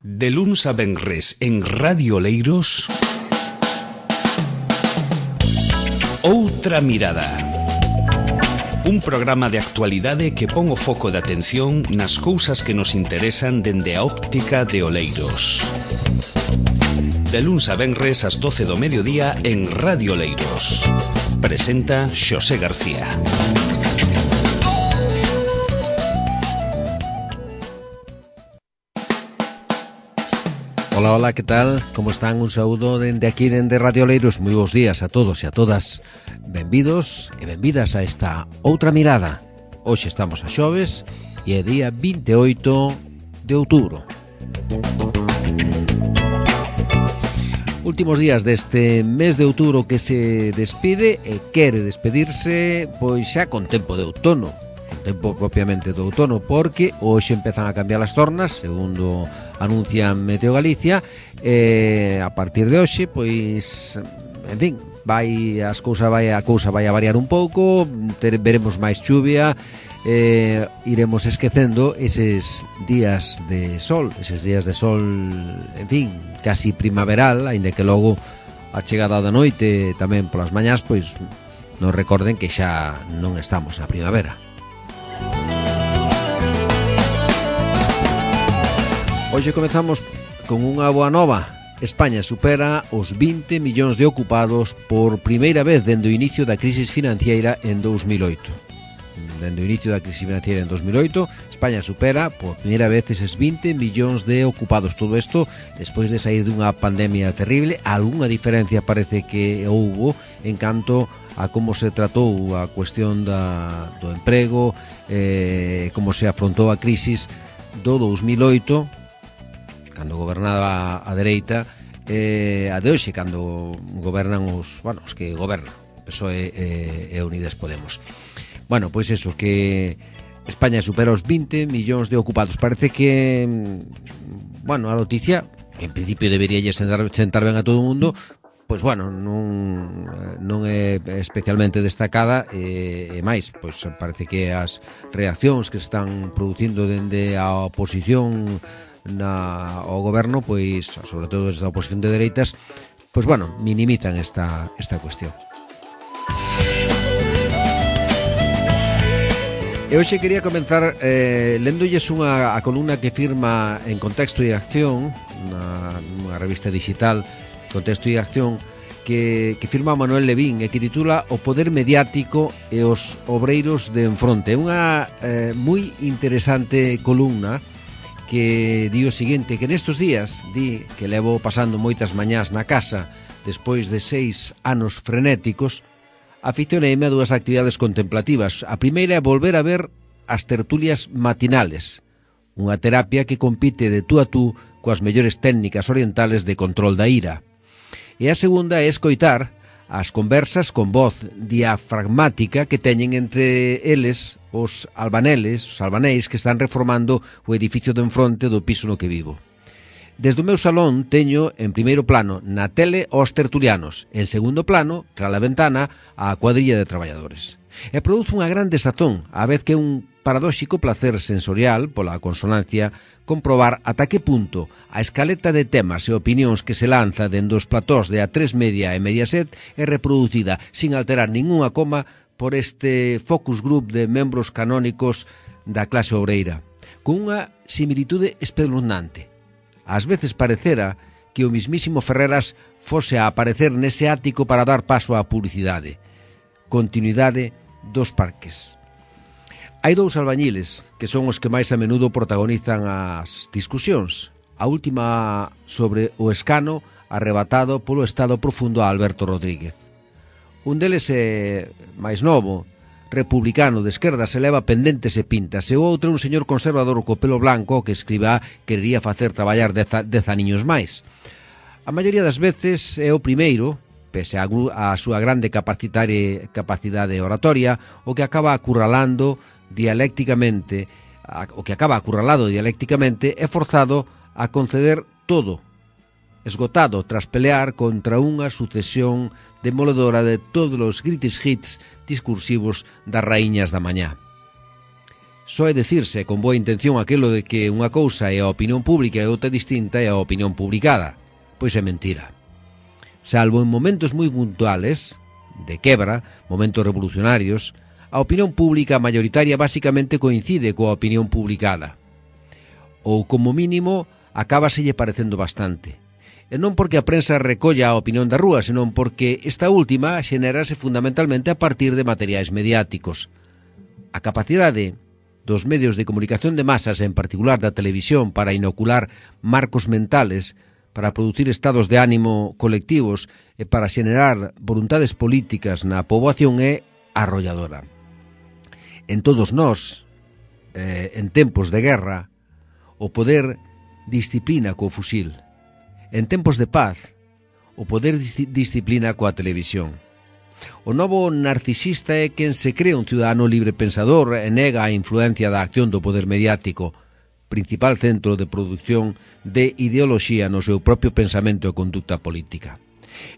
De luns a venres en Radio Oleiros, Outra Mirada. Un programa de actualidade que pon o foco de atención nas cousas que nos interesan dende a óptica de Oleiros. De luns a venres ás 12 do mediodía en Radio Oleiros. Presenta Xosé García. Hola, hola, que tal? Como están? Un saúdo dende aquí, dende Radio Oleiros. Moi bons días a todos e a todas. Benvidos e benvidas a esta Outra Mirada. Hoxe estamos a xoves e é día 28 de outubro. Últimos días deste mes de outubro que se despide e quere despedirse pois xa con tempo de outono. Tempo propiamente do outono, porque hoxe empezan a cambiar as tornas, segundo anuncia Meteo Galicia, e a partir de hoxe, pois, en fin, a cousa vai a variar un pouco, veremos máis chuvia, iremos esquecendo eses días de sol, en fin, casi primaveral, aínda que logo a chegada da noite tamén polas mañás, pois, non recorden que xa non estamos na primavera. Hoxe comezamos con unha boa nova. España supera os 20 millóns de ocupados por primeira vez dende o inicio da crise financiera en 2008. Dende o inicio da crise financiera en 2008, España supera por primeira vez eses 20 millóns de ocupados. Todo isto despois de sair dunha pandemia terrible. Algúnha diferencia parece que houbo en canto a como se tratou a cuestión do emprego, como se afrontou a crisis do 2008, cando gobernaba a dereita, a de hoxe, cando gobernan os que gobernan, PSOE e Unidas Podemos. Bueno, pois eso, que España supera os 20 millóns de ocupados. Parece que, a noticia, en principio debería sentar ben a todo o mundo, pois non é especialmente destacada, e máis, pois parece que as reaccións que se están producindo dende a oposición ao goberno, pois, sobre todo desde a oposición de dereitas, pois minimizan esta cuestión. E hoxe quería comenzar léndolles a columna que firma en Contexto e Acción, unha revista digital, Contexto e Acción, que firma Manuel Levín e que titula O poder mediático e os obreiros de enfronte. É unha moi interesante columna que di o seguinte, que nestes días di que levo pasando moitas mañás na casa despois de 6 anos frenéticos, aficioneime a dúas actividades contemplativas. A primeira é volver a ver as tertulias matinales, unha terapia que compite de tú a tú coas mellores técnicas orientales de control da ira. E a segunda é escoitar as conversas con voz diafragmática que teñen entre eles os albaneis que están reformando o edificio do enfronte do piso no que vivo. Desde o meu salón teño en primeiro plano na tele aos tertulianos, en segundo plano, tras a ventana, a cuadrilla de traballadores. E produce unha gran desazón, a vez que un paradóxico placer sensorial, pola consonancia, comprobar ata que punto a escaleta de temas e opinións que se lanza dende os platós de A3 Media e Mediaset é reproducida sin alterar ningunha coma por este focus group de membros canónicos da clase obreira, con unha similitude espeluznante. Ás veces parecera que o mismísimo Ferreras fose a aparecer nese ático para dar paso á publicidade. Continuidade dos parques. Hai dous albañiles que son os que máis a menudo protagonizan as discusións. A última sobre o escano arrebatado polo Estado profundo a Alberto Rodríguez. Un deles é máis novo, republicano de esquerda, se leva pendentes e pintas, e o outro é un señor conservador co pelo blanco que escriba querería facer traballar 10 aniños máis. A maioría das veces é o primeiro, pese a súa grande capacidade oratoria, o que acaba acurralado dialécticamente é forzado a conceder todo, esgotado tras pelear contra unha sucesión demoledora de todos os greatest hits discursivos das raíñas da mañá. Só é decirse con boa intención aquilo de que unha cousa é a opinión pública e outra distinta é a opinión publicada. Pois é mentira. Salvo en momentos moi puntuales, de quebra, momentos revolucionarios, a opinión pública mayoritaria basicamente coincide coa opinión publicada. Ou, como mínimo, acábaselle parecendo bastante. E non porque a prensa recolla a opinión da rúa, senón porque esta última xenérase fundamentalmente a partir de materiais mediáticos. A capacidade dos medios de comunicación de masas, en particular da televisión, para inocular marcos mentales, para producir estados de ánimo colectivos e para xenerar voluntades políticas na poboación é arrolladora. En todos nós, en tempos de guerra, o poder disciplina co fusil. En tempos de paz, o poder disciplina coa televisión. O novo narcisista é quen se cree un ciudadano libre pensador e nega a influencia da acción do poder mediático, principal centro de produción de ideoloxía no seu propio pensamento e conducta política.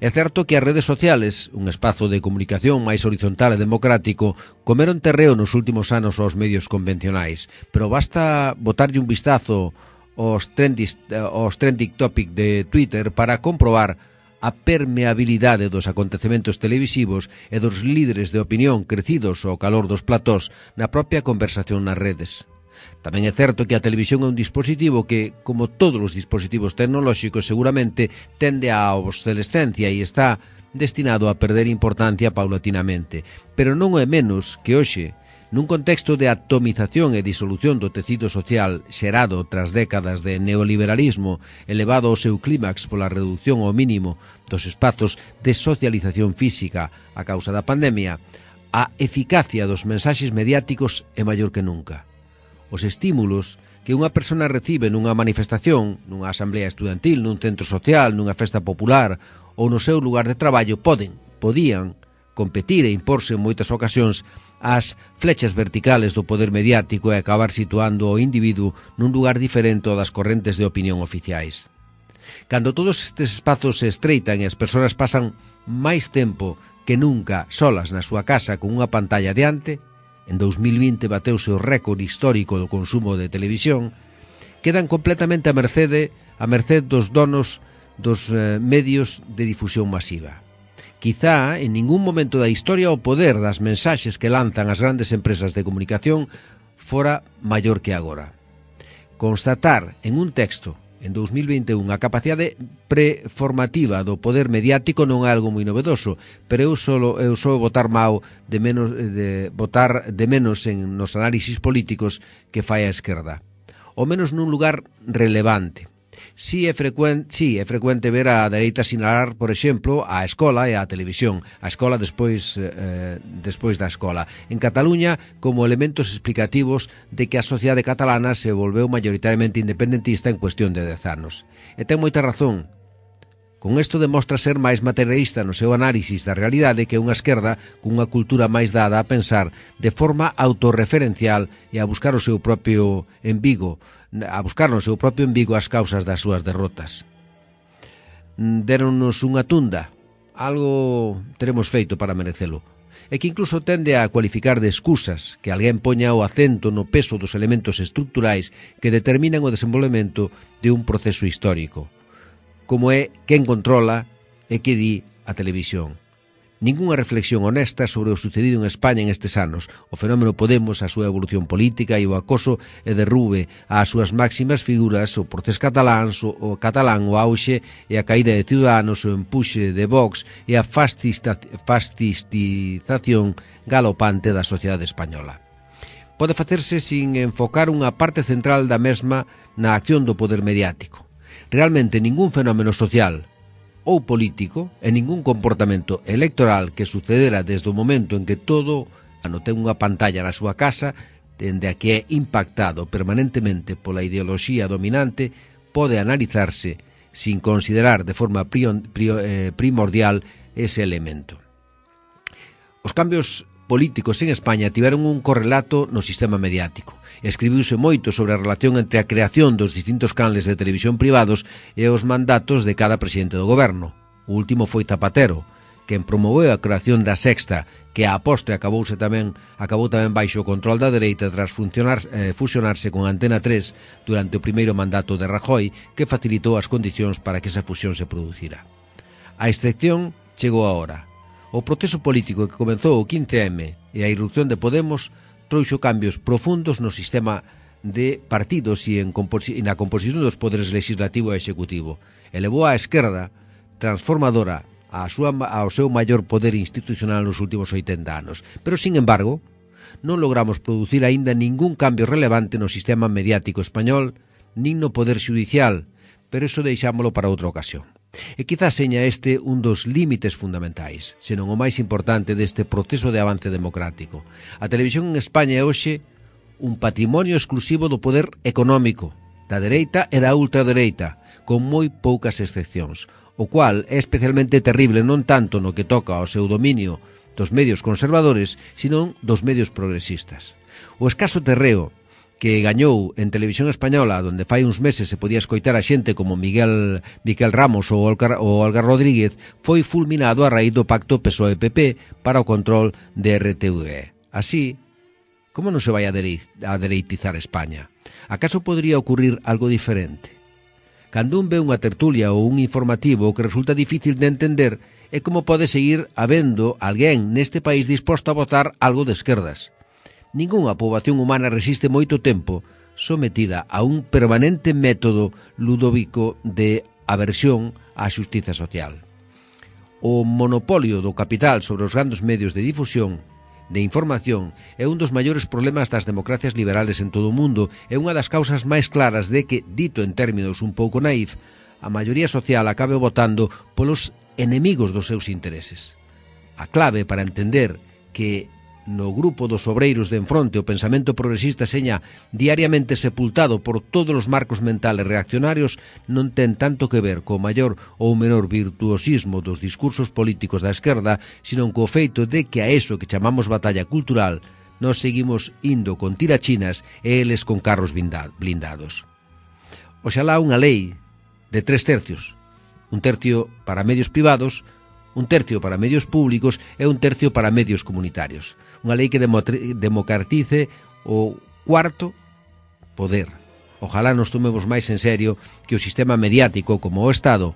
É certo que as redes sociales, un espazo de comunicación máis horizontal e democrático, comeron terreo nos últimos anos aos medios convencionais, pero basta botarlle un vistazo aos trending topic de Twitter para comprobar a permeabilidade dos acontecementos televisivos e dos líderes de opinión crecidos ao calor dos platós na propia conversación nas redes. Tamén é certo que a televisión é un dispositivo que, como todos os dispositivos tecnolóxicos, seguramente tende á obsolescencia e está destinado a perder importancia paulatinamente. Pero non é menos que hoxe, nun contexto de atomización e disolución do tecido social xerado tras décadas de neoliberalismo elevado ao seu clímax pola reducción ao mínimo dos espazos de socialización física a causa da pandemia, a eficacia dos mensaxes mediáticos é maior que nunca. Os estímulos que unha persona recibe nunha manifestación, nunha asamblea estudantil, nun centro social, nunha festa popular ou no seu lugar de traballo podían competir e imporse en moitas ocasións as flechas verticales do poder mediático e acabar situando o individuo nun lugar diferente ao das correntes de opinión oficiais. Cando todos estes espazos se estreitan e as persoas pasan máis tempo que nunca solas na súa casa con unha pantalla diante, en 2020 bateuse o récord histórico do consumo de televisión, quedan completamente a merced dos donos dos medios de difusión masiva. Quizá en ningún momento da historia o poder das mensaxes que lanzan as grandes empresas de comunicación fora maior que agora. Constatar en un texto en 2021 a capacidade preformativa do poder mediático non é algo moi novedoso, pero eu só botar de menos en nos análisis políticos que fai a esquerda. Ou menos nun lugar relevante. Si é frecuente ver a dereita sinalar, por exemplo, a escola e a televisión, a escola despois da escola. En Cataluña, como elementos explicativos de que a sociedade catalana se volveu maioritariamente independentista en cuestión de 10 anos. E ten moita razón. Con isto demostra ser máis materialista no seu análisis da realidade que unha esquerda cunha cultura máis dada a pensar de forma autorreferencial e a buscar o seu propio embigo, as causas das súas derrotas. Déronnos unha tunda, algo teremos feito para merecelo, e que incluso tende a cualificar de excusas que alguén poña o acento no peso dos elementos estruturais que determinan o desenvolvemento de un proceso histórico, como é quen controla e que di a televisión. Ningunha reflexión honesta sobre o sucedido en España en estes anos, o fenómeno Podemos, a súa evolución política e o acoso e derrube ás súas máximas figuras, o Procés catalán, o auxe e a caída de Ciudadanos, o empuxe de Vox e a fascistización galopante da sociedade española. Pode facerse sin enfocar unha parte central da mesma na acción do poder mediático. Realmente ningún fenómeno social ou político e ningún comportamento electoral que sucedera desde o momento en que todo ano ten unha pantalla na súa casa, dende a que é impactado permanentemente pola ideoloxía dominante, pode analizarse sin considerar de forma primordial ese elemento. Os cambios políticos en España tiveron un correlato no sistema mediático. Escribiuse moito sobre a relación entre a creación dos distintos canles de televisión privados e os mandatos de cada presidente do goberno. O último foi Zapatero, quen promoveu a creación da Sexta, que a postre acabou tamén baixo o control da dereita tras fusionarse con Antena 3 durante o primeiro mandato de Rajoy, que facilitou as condicións para que esa fusión se producira. A excepción chegou a hora. O proceso político que comezou o 15M e a irrupción de Podemos trouxo cambios profundos no sistema de partidos e na composición dos poderes legislativo e executivo. Elevou a esquerda transformadora ao seu maior poder institucional nos últimos 80 anos. Pero, sin embargo, non logramos producir aínda ningún cambio relevante no sistema mediático español, nin no poder xudicial, pero iso deixámolo para outra ocasión. E quizás seña este un dos límites fundamentais, senón o máis importante deste proceso de avance democrático. A televisión en España é hoxe un patrimonio exclusivo do poder económico, da dereita e da ultradereita, con moi poucas excepcións, o cual é especialmente terrible non tanto no que toca ao seu dominio dos medios conservadores, sino dos medios progresistas. O escaso terreo que gañou en televisión española, donde fai uns meses se podía escoitar a xente como Miguel Ramos ou Olga Rodríguez, foi fulminado a raíz do pacto PSOE-PP para o control de RTV. Así, como non se vai a dereitizar España? Acaso podría ocurrir algo diferente? Cando un ve unha tertulia ou un informativo, o que resulta difícil de entender é como pode seguir habendo alguén neste país disposto a votar algo de esquerdas. Ningunha poboación humana resiste moito tempo sometida a un permanente método ludovico de aversión á xustiza social. O monopolio do capital sobre os grandes medios de difusión de información é un dos maiores problemas das democracias liberales en todo o mundo e unha das causas máis claras de que, dito en términos un pouco naif, a maioría social acabe votando polos enemigos dos seus intereses. A clave para entender que no grupo dos obreiros de enfronte o pensamento progresista seña diariamente sepultado por todos os marcos mentales reaccionarios non ten tanto que ver co maior ou menor virtuosismo dos discursos políticos da esquerda, sino co feito de que a eso que chamamos batalla cultural nos seguimos indo con tirachinas e eles con carros blindados. Oxalá unha lei de 3/3, un tercio para medios privados, un tercio para medios públicos e un tercio para medios comunitarios. Unha lei que democratice o cuarto poder. Ojalá nos tomemos máis en serio que o sistema mediático como o Estado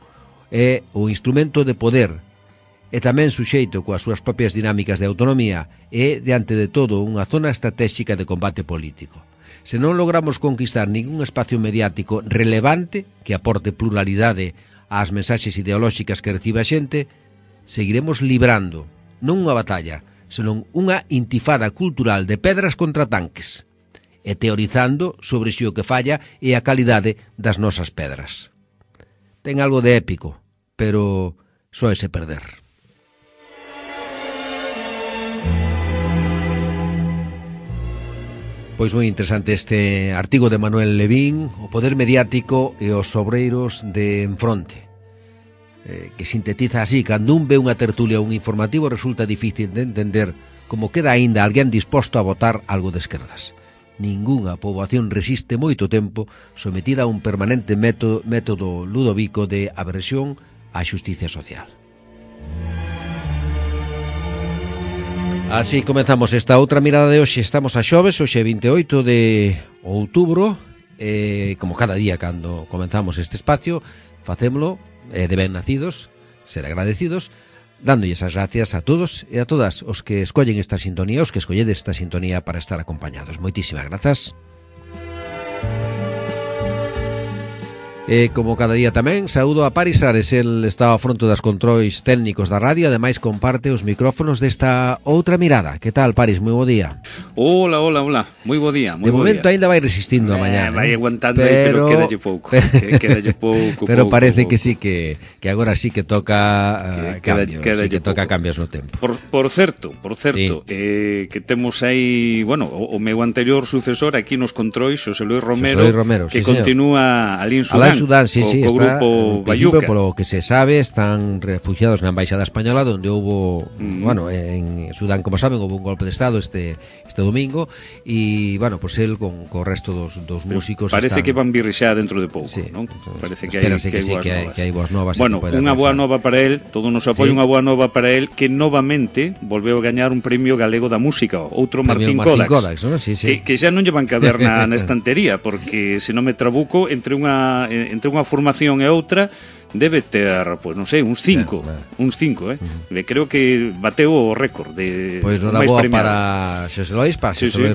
é o instrumento de poder e tamén suxeito coas súas propias dinámicas de autonomía e, diante de todo, unha zona estratégica de combate político. Se non logramos conquistar ningún espacio mediático relevante que aporte pluralidade ás mensaxes ideolóxicas que recibe a xente, seguiremos librando non unha batalla, senón unha intifada cultural de pedras contra tanques e teorizando sobre se o que falla é a calidade das nosas pedras. Ten algo de épico, pero só ese perder. Pois moi interesante este artigo de Manuel Levín, o poder mediático e os obreiros de enfronte, que sintetiza así: cando un ve unha tertulia ou un informativo resulta difícil de entender como queda aínda alguén disposto a votar algo de esquerdas. Ningunha poboación resiste moito tempo sometida a un permanente método ludovico de aversión á xustiza social. Así comezamos esta outra mirada de hoxe. Estamos a xoves, hoxe 28 de outubro, como cada día cando comenzamos este espacio, facémolo de ben nacidos, ser agradecidos, dándolles as gracias a todos e a todas os que escollen esta sintonía, os que escolledes esta sintonía para estar acompañados. Moitísimas grazas. E como cada día tamén, saúdo a Paris Ares, el está ao fronte das controis técnicos da radio, ademais comparte os micrófonos desta outra mirada. Que tal, Paris? Moi bo día. Hola, moi bo día. De momento ainda vai resistindo a mañá. Vai aguantando pero quedalle pouco. Quedalle pouco. Pero parece que sí que agora sí que toca cambios, sí que toca cambios no tempo. Por certo, sí. Que temos aí, bueno, o meu anterior sucesor aquí nos controis, Xosé Luis Romero, que sí, continúa ali en Sudán. Sudán, sí, co está, grupo en principio, Bayuca. polo que se sabe, están refugiados na Embaixada Española, donde houbo, bueno, en Sudán, como saben, houve un golpe de Estado este domingo, e, bueno, pues el con o resto dos músicos Parece están... que van virrixar dentro de pouco, Sí, non? Parece que espérase hai sí, boas novas. que hai boas novas. Bueno, unha boa nova para el, todo o noso apoio, Sí. unha boa nova para el, que novamente volveu a gañar un premio galego da música, outro Martín Kodax, ¿no? Sí, sí. que xa non lle van caber na estantería, porque se non me trabuco, entre unha formación e outra, debe ter, pois non sei, uns 5, uns 5, creo que bateu o récord de Pois non máis boa premiado. para Xosé Lois,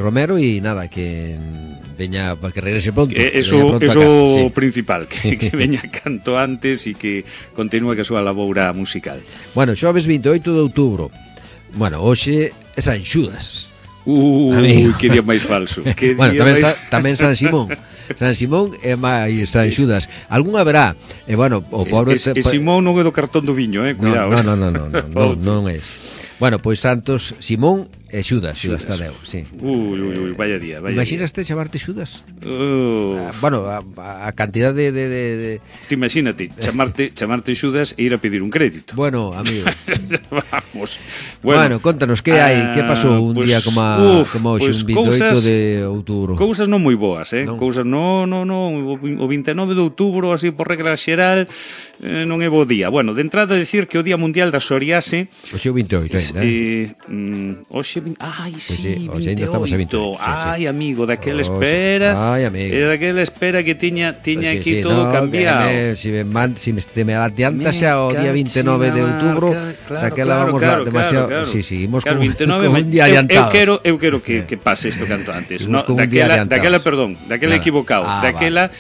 Romero, e nada, que veña, para que regrese pronto. Eso sí. principal, que veña canto antes e que continúe que a súa laboura musical. Bueno, xoves 28 de outubro. Bueno, hoxe é San Xudas. Amigo. Que día máis falso. Que Bueno, día tamén San Simón. San Simón e máis San Xudas. Algún haberá. E bueno, o pobre... Simón non é do cartón do viño, cuidado. Non é. Bueno, pois Santos, Simón e Xudas Tadeu, sí. Ui, vaya día. Imaginaste chamarte Xudas? Bueno, a cantidad de... Te imagínate, chamarte Xudas e ir a pedir un crédito. Bueno, amigo. Vamos. Bueno, contanos, que hai? Que pasou un día como hoxe, un 28 de outubro? Cousas non moi boas, Non. Cousas non, o 29 de outubro, así por regla xeral, non é bo día. Bueno, de entrada decir que o Día Mundial da Psoriase... Hoxe o 28, Hoxe, ai, sí, hoxe ainda estamos a 28. Ai, amigo, daquela espera. Ai, amigo. Daquela espera que tiña aquí sí, todo cambiado. Si me adiantas xa o día 29 de outubro, daquela vamos demasiado... Claro. Sí, imos claro, con 29, un día adiantado. Eu quero que pase isto canto antes. No, daquela equivocado. Daquela,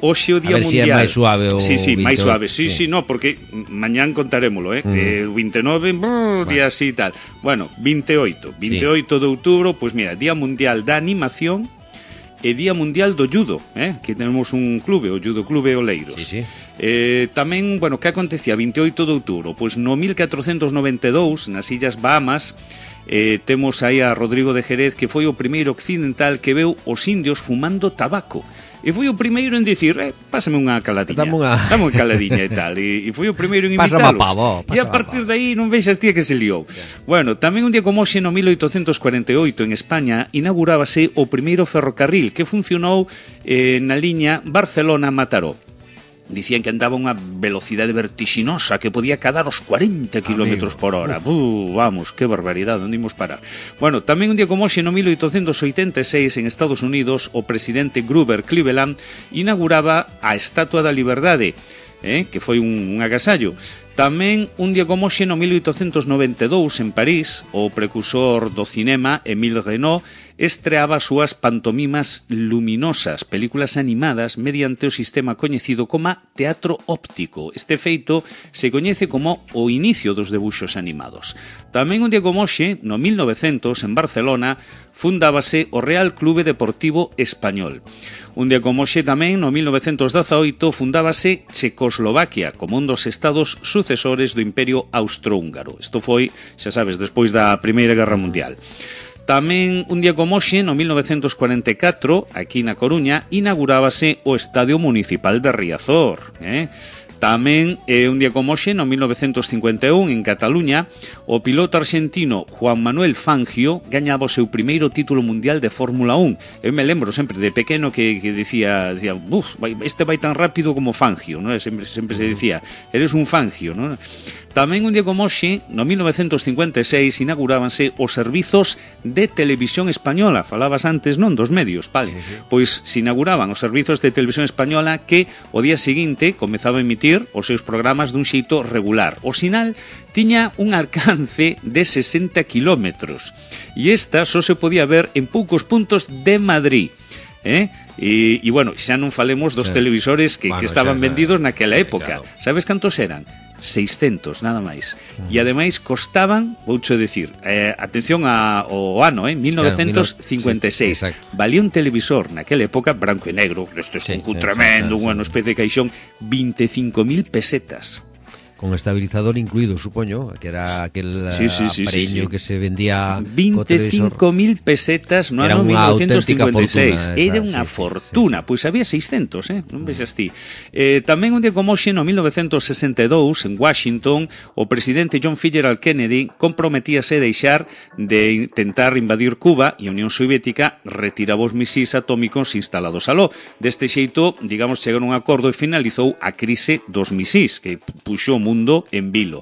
hoxe o Día Mundial. A ver se é máis suave o Sí, máis suave. Sí, no, porque mañán contarémolo, o 29, día así e tal. Bueno, 28 de outubro, pois mira, Día Mundial da Animación e Día Mundial do Judo, que temos un clube, o Judo Clube Oleiros. Sí. Tamén, bueno, que acontecía 28 de outubro? Pois no 1492, nas Illas Bahamas, temos aí a Rodrigo de Jerez, que foi o primeiro occidental que veu os indios fumando tabaco. E foi o primeiro en dicir, pásame unha caladiña. Dame unha caladiña e tal. E foi o primeiro en imitalos. E a partir de aí non vexas tía que se liou. Bueno, tamén un día como hoxe, no 1848, en España, inaugurábase o primeiro ferrocarril que funcionou na liña Barcelona-Mataró. Dicían que andaba unha velocidade vertixinosa, que podía cadar os 40 km por hora. Vamos, que barbaridade, onde imos parar? Bueno, tamén un día como hoxe, no 1886, en Estados Unidos, o presidente Grover Cleveland inauguraba a Estatua da Liberdade, que foi un agasallo. Tamén un día como hoxe, no 1892, en París, o precursor do cinema, Émile Renaud, estreaba as súas pantomimas luminosas, películas animadas mediante o sistema coñecido como teatro óptico. Este feito se coñece como o inicio dos debuxos animados. Tamén un día como hoxe, no 1900, en Barcelona, fundábase o Real Clube Deportivo Español. Un día como hoxe tamén, no 1918, fundábase Checoslovaquia como un dos estados sucesores do Imperio Austrohúngaro. Isto foi, xa sabes, despois da Primeira Guerra Mundial. Tamén un día como hoxe, no 1944, aquí na Coruña, inaugurábase o Estadio Municipal de Riazor. Tamén, un día como hoxe, no 1951, en Cataluña, o piloto argentino Juan Manuel Fangio gañaba o seu primeiro título mundial de Fórmula 1. Eu me lembro sempre de pequeno que decía, este vai tan rápido como Fangio, ¿no? Sempre se decía, eres un Fangio, ¿no? Tamén un día como hoxe, no 1956, inaugurábanse os servizos de televisión española. Falabas antes, non, dos medios, vale? Sí. Pois se inauguraban os servizos de televisión española que o día seguinte comezaba a emitir os seus programas dun xeito regular. O sinal tiña un alcance de 60 kilómetros e esta só se podía ver en poucos puntos de Madrid. E bueno, xa non falemos dos televisores que estaban vendidos naquela época. Claro. Sabes cantos eran? 600, nada máis. E ademais costaban, voucho decir, atención ao ano, 1956. Claro, valía un televisor naquela época, branco e negro, destes con tremendo, unha especie de caixón, 25.000 pesetas. con estabilizador incluído, supoño, que era aquel aparello que se vendía 25.000 pesetas no ano 1956. Era unha fortuna, pois había 600, non vexas ti. Tamén un día como hoxe, no 1962, en Washington, o presidente John Fitzgerald Kennedy comprometíase a deixar de intentar invadir Cuba e a Unión Soviética retiraba os misís atómicos instalados aló. Deste xeito, digamos, chegaron a un acordo e finalizou a crise dos misís, que puxou o mundo en vilo.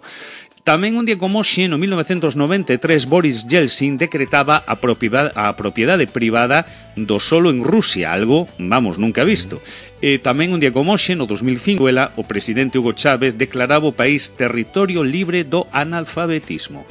Tamén un día como hoxe, no 1993, Boris Yeltsin decretaba a propiedade privada do solo en Rusia, algo, vamos, nunca visto. E tamén un día como hoxe, no 2005, o presidente Hugo Chávez declaraba o país territorio libre do analfabetismo.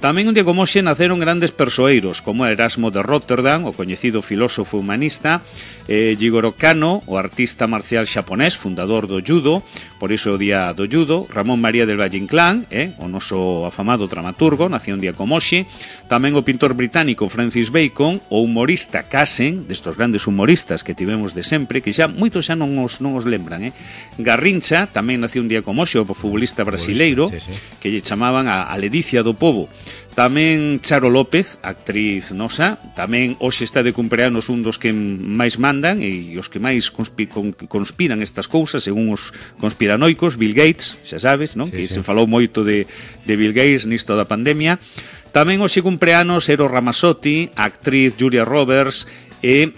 Tamén un día como hoxe naceron grandes persoeiros, como Erasmo de Rotterdam, o coñecido filósofo humanista, Jigoro Kano, o artista marcial xaponés, fundador do judo, por iso o día do judo, Ramón María del Valle Inclán, o noso afamado dramaturgo, nació un día como hoxe, tamén o pintor británico Francis Bacon, o humorista Casen, destos grandes humoristas que tivemos de sempre, que xa moitos xa non os lembran, Garrincha, tamén nació un día como hoxe, o futbolista brasileiro, que lle chamaban a Ledicia do Pobo. Tamén Charo López, actriz nosa, tamén hoxe está de cumpleanos un dos que máis mandan e os que máis conspiran estas cousas, según os conspiranoicos, Bill Gates, xa sabes, non? Que se falou moito de Bill Gates nisto da pandemia. Tamén hoxe cumpleanos Eros Ramazzotti, a actriz Julia Roberts e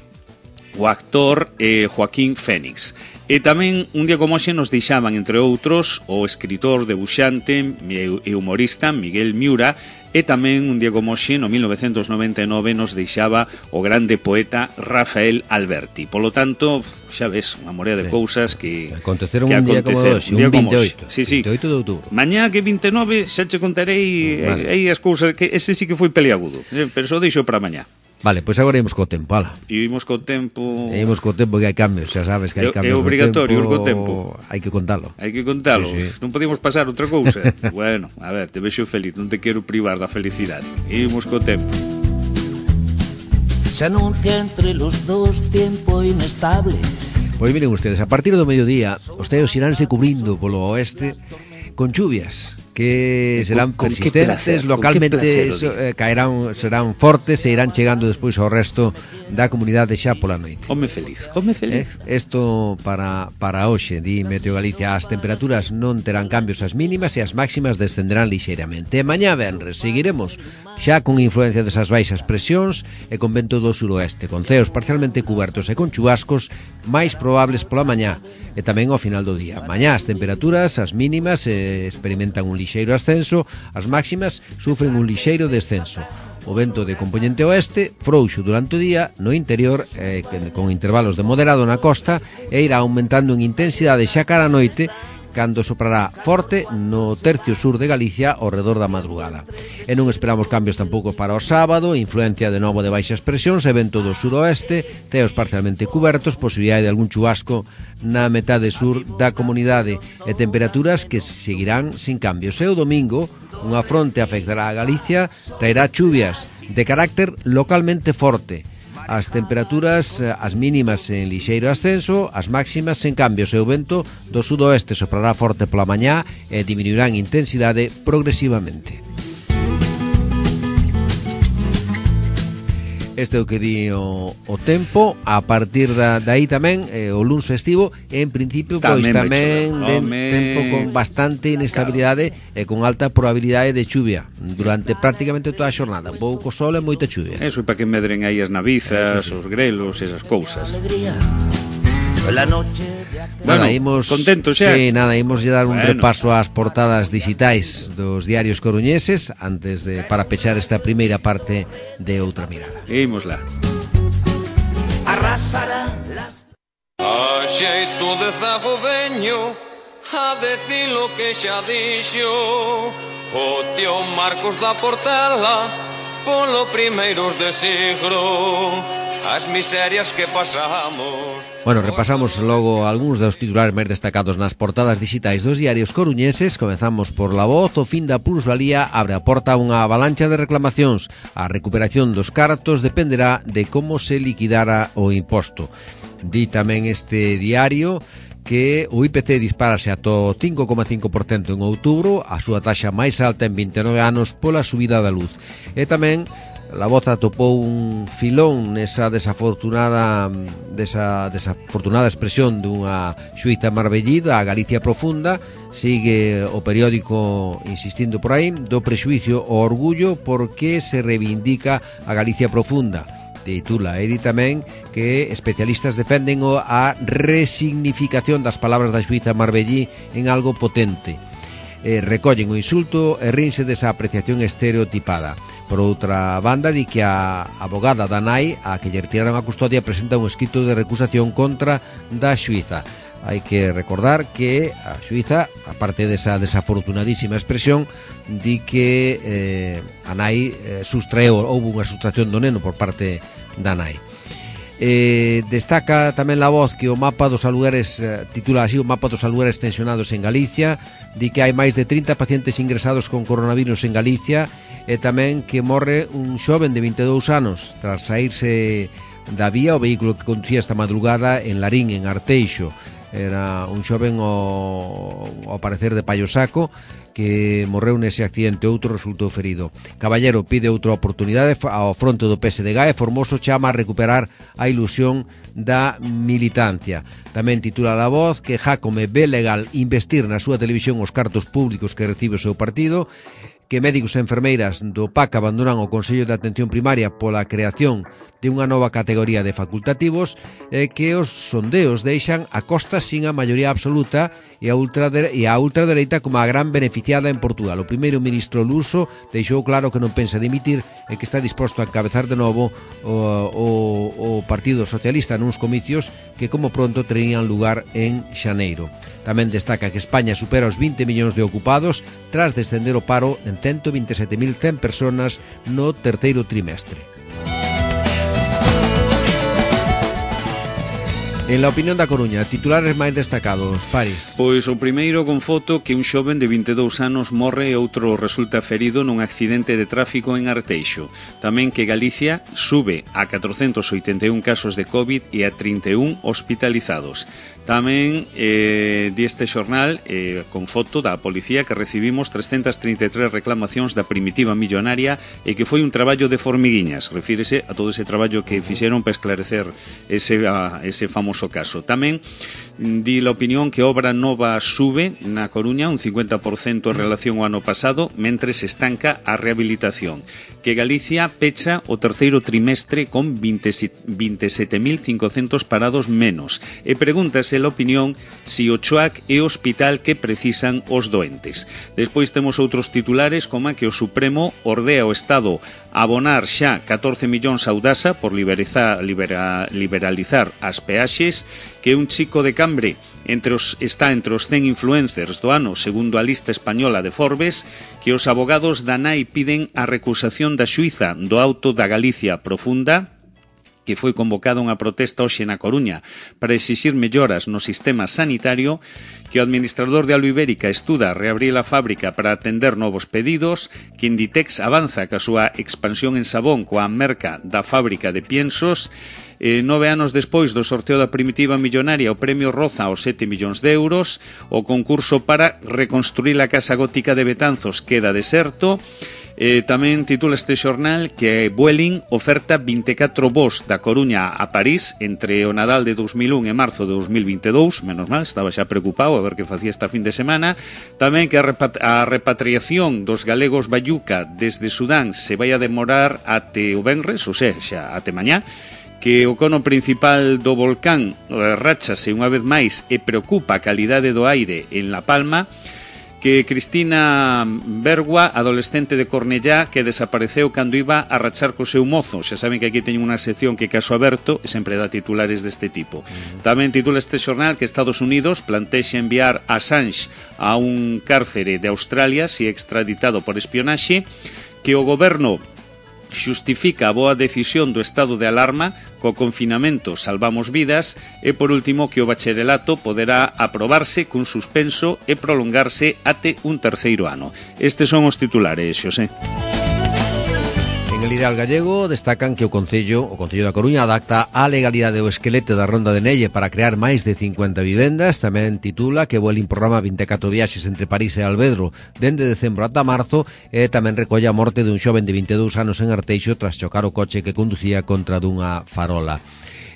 o actor Joaquín Fénix. E tamén un día como hoxe nos deixaban, entre outros, o escritor, debuxante e humorista Miguel Miura, e tamén un día como hoxe, no 1999, nos deixaba o grande poeta Rafael Alberti. Polo tanto, xa ves, unha morea de cousas que aconteceron un día como hoxe, un 28, 28 de outubro. Mañá que 29 xa te contarei aí as cousas, que ese sí que foi peliagudo, pero só deixo para mañá. Vale, pois agora imos co tempo, ala. Imos co tempo... Imos co tempo que hai cambios, xa sabes que hai cambios. É obrigatorio ir co tempo. Hai que contalo. Hai que contalo. Sí. Non podíamos pasar outra cousa. Bueno, a ver, te vexo feliz, non te quero privar da felicidade. Imos co tempo. Se anuncia entre los dos tiempo inestable. Pois miren ustedes, a partir do mediodía, os teos iránse cubrindo polo oeste con chuvias que serán persistentes, localmente caerán, serán fortes e irán chegando despois ao resto da comunidade xa pola noite. Home feliz, home feliz. Isto para hoxe, di Meteo Galicia, as temperaturas non terán cambios as mínimas e as máximas descenderán lixeiramente. E mañá venres seguiremos xa con influencia desas baixas presións e con vento do suroeste, con ceos parcialmente cubertos e con chubascos máis probables pola mañá e tamén ao final do día. Mañá as temperaturas, as mínimas, experimentan un lixeiro ascenso, as máximas sufren un lixeiro descenso. O vento de compoñente oeste, frouxo durante o día, no interior, con intervalos de moderado na costa, e irá aumentando en intensidade xa cara a noite, cando soprará forte no tercio sur de Galicia ao redor da madrugada. E non esperamos cambios tampouco para o sábado, influencia de novo de baixas presións e vento do suroeste, ceos parcialmente cubertos, posibilidade de algún chubasco na metade sur da comunidade e temperaturas que seguirán sin cambios. E o domingo, unha fronte afectará a Galicia, traerá chuvias de carácter localmente forte. As temperaturas, as mínimas en lixeiro ascenso, as máximas en cambios e o vento do sudoeste soprará forte pola mañá e diminuirá en intensidade progresivamente. Este é o que di o tempo. A partir dai tamén o luns festivo, en principio pois tamén de tempo con bastante inestabilidade e con alta probabilidade de chuvia durante prácticamente toda a xornada. Pouco sol e moita chuvia. Eso é para que medren aí as navizas, os grelos, esas cousas. Bueno, imos contentos xa. Sí, nada, imos dar un repaso ás portadas digitais dos diarios coruñeses antes de para pechar esta primeira parte de Outra Mirada. Imos lá. Arrasará las a xeito de zago veño a decir lo que xa dixo o tío Marcos da Portela polo primeiros de siglo. As miserias que pasamos. Bueno, repasamos logo algúns dos titulares máis destacados nas portadas digitais dos diarios coruñeses. Comezamos por La Voz. O fin da plusvalía abre a porta a unha avalancha de reclamacións. A recuperación dos cartos dependerá de como se liquidara o imposto. Di tamén este diario que o IPC disparase ata 5,5% en outubro, a súa taxa máis alta en 29 anos pola subida da luz. E tamén La Voz atopou un filón nesa desafortunada expresión dunha xuíza marbellida, a Galicia profunda. Sigue o periódico insistindo por aí do prexuicio ao orgullo porque se reivindica a Galicia profunda. Titula e di tamén que especialistas defenden a resignificación das palabras da xuíza marbellí en algo potente. Recollen o insulto e rinse desa apreciación estereotipada. Por outra banda, di que a abogada da nai, a que lle retiraron a custodia, presenta un escrito de recusación contra da xuíza. Hai que recordar que a xuíza, aparte desa desafortunadísima expresión, di que a nai houve unha sustracción do neno por parte da nai. Destaca tamén La Voz que o mapa dos alugueres, titula así, o mapa dos alugueres tensionados en Galicia. Di que hai máis de 30 pacientes ingresados con coronavirus en Galicia, e tamén que morre un xoven de 22 anos tras saírse da vía o vehículo que conducía esta madrugada en Larín, en Arteixo. Era un xoven ao parecer de Paio Saco que morreu nese accidente, outro resultou ferido. Caballero pide outra oportunidade ao fronte do PSDG e Formoso chama a recuperar a ilusión da militancia. Tamén titula La Voz que Jácome ve legal investir na súa televisión os cartos públicos que recibe o seu partido, que médicos e enfermeiras do PAC abandonan o Consello de Atención Primaria pola creación de unha nova categoría de facultativos, que os sondeos deixan a Costa sin a maioría absoluta e a ultradereita como a gran beneficiada en Portugal. O primeiro ministro luso deixou claro que non pensa dimitir e que está disposto a encabezar de novo o Partido Socialista nuns comicios que como pronto terían lugar en xaneiro. Tamén destaca que España supera os 20 millóns de ocupados tras descender o paro en 127.100 personas no terceiro trimestre. En la opinión da Coruña, titulares máis destacados, Paris. Pois o primeiro con foto que un xoven de 22 anos morre e outro resulta ferido nun accidente de tráfico en Arteixo. Tamén que Galicia sube a 481 casos de COVID e a 31 hospitalizados. Tamén di este xornal con foto da policía que recibimos 333 reclamacións da primitiva millonaria e que foi un traballo de formiguiñas. Refírese a todo ese traballo que fixeron para esclarecer ese famoso caso. Tamén di la opinión que obra nova sube na Coruña un 50% en relación ao ano pasado, mentre se estanca a rehabilitación. Que Galicia pecha o terceiro trimestre con 27.500 parados menos. E pregúntase la opinión si o CHOAC é o hospital que precisan os doentes. Despois temos outros titulares como que o Supremo ordea o Estado abonar xa 14 millóns a Audasa por liberalizar as peaxes, que un chico de Cambre está entre os 100 influencers do ano segundo a lista española de Forbes, que os abogados da nai piden a recusación da xuíza do auto da Galicia profunda, que foi convocada unha protesta hoxe na Coruña para exixir melloras no sistema sanitario, que o administrador de Aluibérica estuda reabrir a fábrica para atender novos pedidos, que Inditex avanza ca súa expansión en Sabón coa merca da fábrica de piensos. 9 anos despois do sorteo da primitiva millonaria, o premio roza aos 7 millóns de euros. O concurso para reconstruir a casa gótica de Betanzos queda deserto. Tamén titula este xornal que Vueling oferta 24 voos da Coruña a París entre o Nadal de 2001 e marzo de 2022. Menos mal, estaba xa preocupado a ver que facía esta fin de semana. Tamén que a repatriación dos galegos Bayuca desde Sudán se vai a demorar até o venres, ou seja, até mañá. Que o cono principal do volcán ráchase unha vez máis e preocupa a calidade do aire en La Palma. Que Cristina Bergua, adolescente de Cornellá, que desapareceu cando iba a rachar co seu mozo. Xa saben que aquí teñen unha sección que caso aberto e sempre dá titulares deste tipo. Tamén titula este xornal que Estados Unidos plantexa enviar a Assange a un cárcere de Australia se extraditado por espionaxe. Que o goberno xustifica a boa decisión do estado de alarma, co confinamento salvamos vidas, e por último que o bacharelato poderá aprobarse cun suspenso e prolongarse até un terceiro ano. Estes son os titulares, Xosé. En En el Ideal Gallego destacan que o Concello da Coruña adapta a legalidade o esqueleto da Ronda de Nelle para crear máis de 50 vivendas. Tamén titula que vuelve un programa 24 viaxes entre París e Alvedro dende decembro ata marzo, e tamén recolle a morte dun xoven de 22 anos en Arteixo tras chocar o coche que conducía contra dunha farola.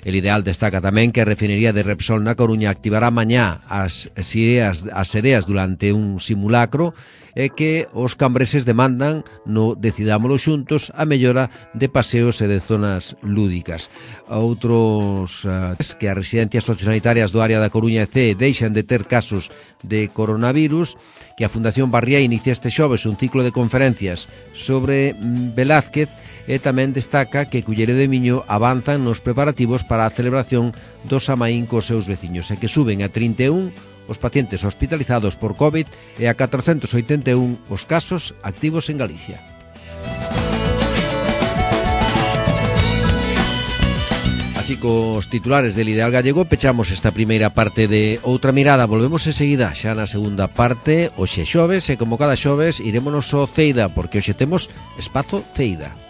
El Ideal destaca tamén que a refinería de Repsol na Coruña activará mañá as sereas durante un simulacro, e que os cambreses demandan no Decidámolo Xuntos a mellora de paseos e de zonas lúdicas. Outros que as residencias sociosanitarias do área da Coruña e CEE deixan de ter casos de coronavirus, que a Fundación Barriá inicia este xoves un ciclo de conferencias sobre Velázquez, e tamén destaca que Culleredo de Miño avanzan nos preparativos para a celebración do Samaín cos seus veciños, e que suben a 31 os pacientes hospitalizados por COVID e a 481 os casos activos en Galicia. Así cos titulares del Ideal Gallego pechamos esta primeira parte de Outra Mirada. Volvemos enseguida xa na segunda parte, hoxe xoves, e como cada xoves irémonos ao Ceida, porque hoxe temos Espazo Ceida.